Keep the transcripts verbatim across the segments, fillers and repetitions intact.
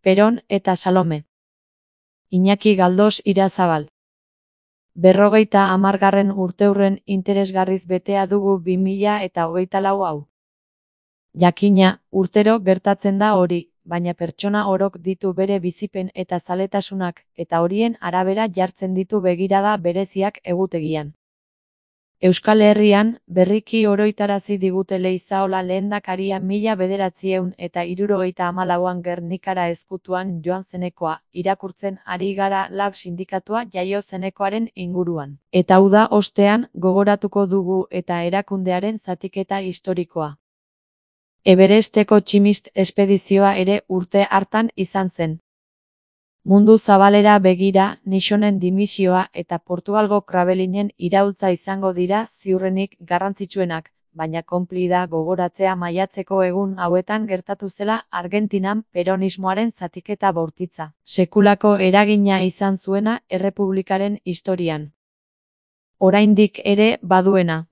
Peron eta Salome. Iñaki Galdos Irazabal. Berrogeita hamargarren urteurren interesgarriz betea dugu bi mila eta hogeita lau hau. Jakina, urtero gertatzen da hori, baina pertsona orok ditu bere bizipen eta zaletasunak, eta horien arabera jartzen ditu begirada bereziak egutegian. Euskal Herrian, berriki oroitarazi digute Leizaola lehendakaria mila bederatziehun eta hirurogeita hamalauan Gernikara ezkutuan joan zenekoa, irakurtzen ari gara Lab sindikatua jaio zenekoaren inguruan. Eta hau da ostean, gogoratuko dugu eta erakundearen zatiketa historikoa. Everesteko tximist espedizioa ere urte hartan izan zen. Mundu zabalera begira, Nixonen dimisioa eta Portugalgo Krabelinen iraultza izango dira ziurrenik garrantzitsuenak, baina konplida gogoratzea maiatzeko egun hauetan gertatu zela Argentinan peronismoaren zatiketa bortitza. Sekulako eragina izan zuena errepublikaren historian. Oraindik ere baduena.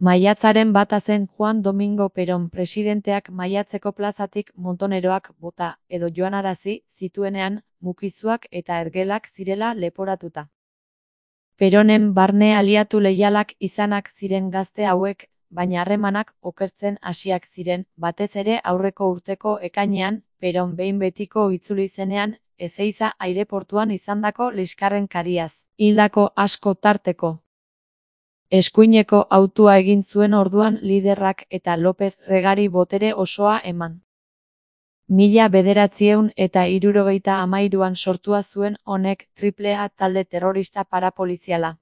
Maiatzaren bata zen Juan Domingo Perón presidenteak maiatzeko plazatik montoneroak bota edo joanarazi zituenean mukizuak eta ergelak zirela leporatuta. Peronen barne aliatu leialak izanak ziren gazte hauek, baina harremanak okertzen hasiak ziren, batez ere aurreko urteko ekainean, Peron behin betiko itzuli zenean, Ezeiza aireportuan izandako liskarren kariaz, hildako asko tarteko. Eskuineko hautua egin zuen orduan liderrak eta López Regari botere osoa eman. Mila bederatziehun eta hirurogeita hamairuan sortua zuen honek Triple A talde terrorista parapoliziala.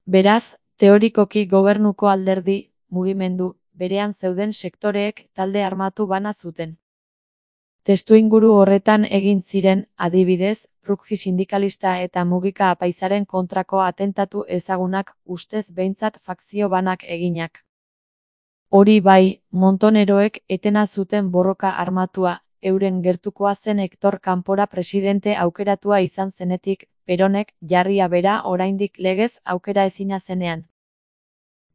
Beraz, teorikoki gobernuko alderdi, mugimendu, berean zeuden sektoreek talde armatu bana zuten. Testuinguru horretan egin ziren, adibidez, Ruggi sindikalista eta Mugika apaizaren kontrako atentatu ezagunak ustez behintzat fakzio banak eginak. Hori bai, montoneroek etena zuten borroka armatua, euren gertukoa zen Hector Kanpora presidente aukeratua izan zenetik, Peronek jarria bera oraindik legez aukera ezina zenean.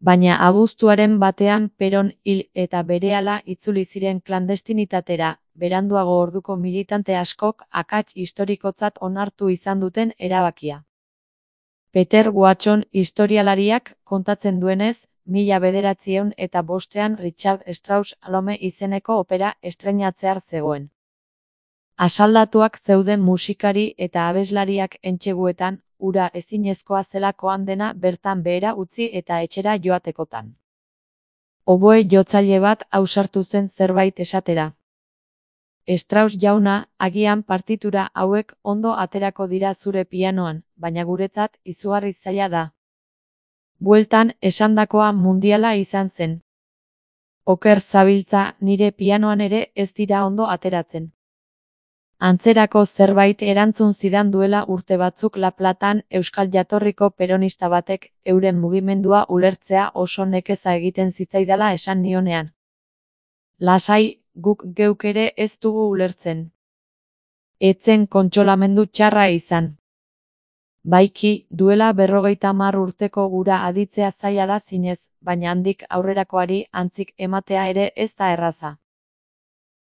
Baina abuztuaren batean Peron hil eta berehala itzuli ziren klandestinitatera, beranduago orduko militante askok akats historikotzat onartu izan duten erabakia. Peter Watson historialariak kontatzen duenez, mila bederatziehun eta bostean Richard Strauss Salome izeneko opera estreinatzear zegoen. Asaldatuak zeuden musikari eta abeslariak entseguetan, ura ezinezkoa zelakoan dena bertan behera utzi eta etxera joatekotan. Oboe jotzaile bat ausartu zen zerbait esatera. Strauss jauna, agian partitura hauek ondo aterako dira zure pianoan, baina guretzat izugarri zaila da. Bueltan esandakoa mundiala izan zen. Oker zabiltza, nire pianoan ere ez dira ondo ateratzen. Antzerako zerbait erantzun zidan duela urte batzuk La Platan euskal jatorriko peronista batek euren mugimendua ulertzea oso nekeza egiten zitzaidala esan nionean. Lasai, guk geuk ere ez dugu ulertzen. Etzen kontsolamendu txarra izan. Baiki, duela berrogeita hamar urteko gura aditzea zaila da zinez, baina handik aurrerakoari antzik ematea ere ez da erraza.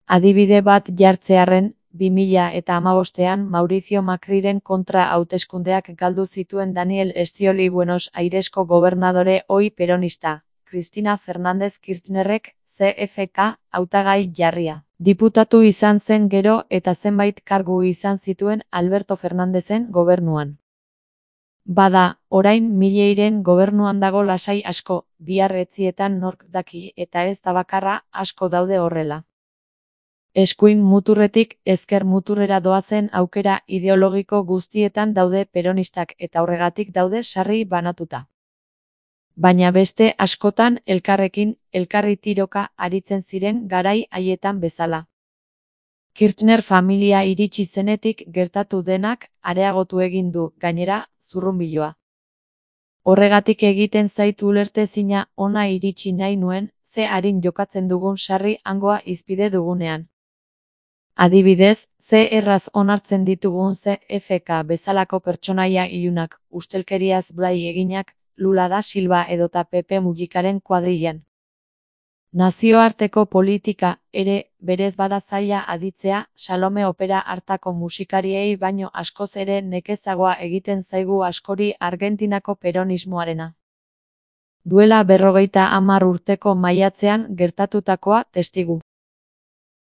Adibide bat jartzearren, bi mila eta hamabostean Mauricio Macriren kontra hauteskundeak galdu zituen Daniel Scioli Buenos Airesko gobernadore ohi peronista, Cristina Fernández Kirchnerrek, C F K, hautagai jarria. Diputatu izan zen gero eta zenbait kargu izan zituen Alberto Fernandezen gobernuan. Bada, orain Milleiren gobernuan dago lasai asko, bihar etzietan nork daki eta ez da bakarra, asko daude horrela. Eskuin muturretik ezker muturrera doazen aukera ideologiko guztietan daude peronistak eta horregatik daude sarri banatuta. Baina beste askotan elkarrekin, elkarri tiroka aritzen ziren garai haietan bezala. Kirchner familia iritsi zenetik gertatu denak areagotu egin du, gainera, zurrunbiloa. Horregatik egiten zaitu ulertezina ona iritsi nahi nuen, ze arin jokatzen dugun sarri hangoa izpide dugunean. Adibidez, ze erraz onartzen ditugun C F K bezalako pertsonaia ilunak, ustelkeriaz blai eginak, Lula da Silva edota Pepe Mujikaren kuadrilan. Nazioarteko politika ere berez bada zaila aditzea, Salome opera hartako musikariei baino askoz ere nekezagoa egiten zaigu askori Argentinako peronismoarena. Duela berrogeita hamar urteko maiatzean gertatutakoa testigu.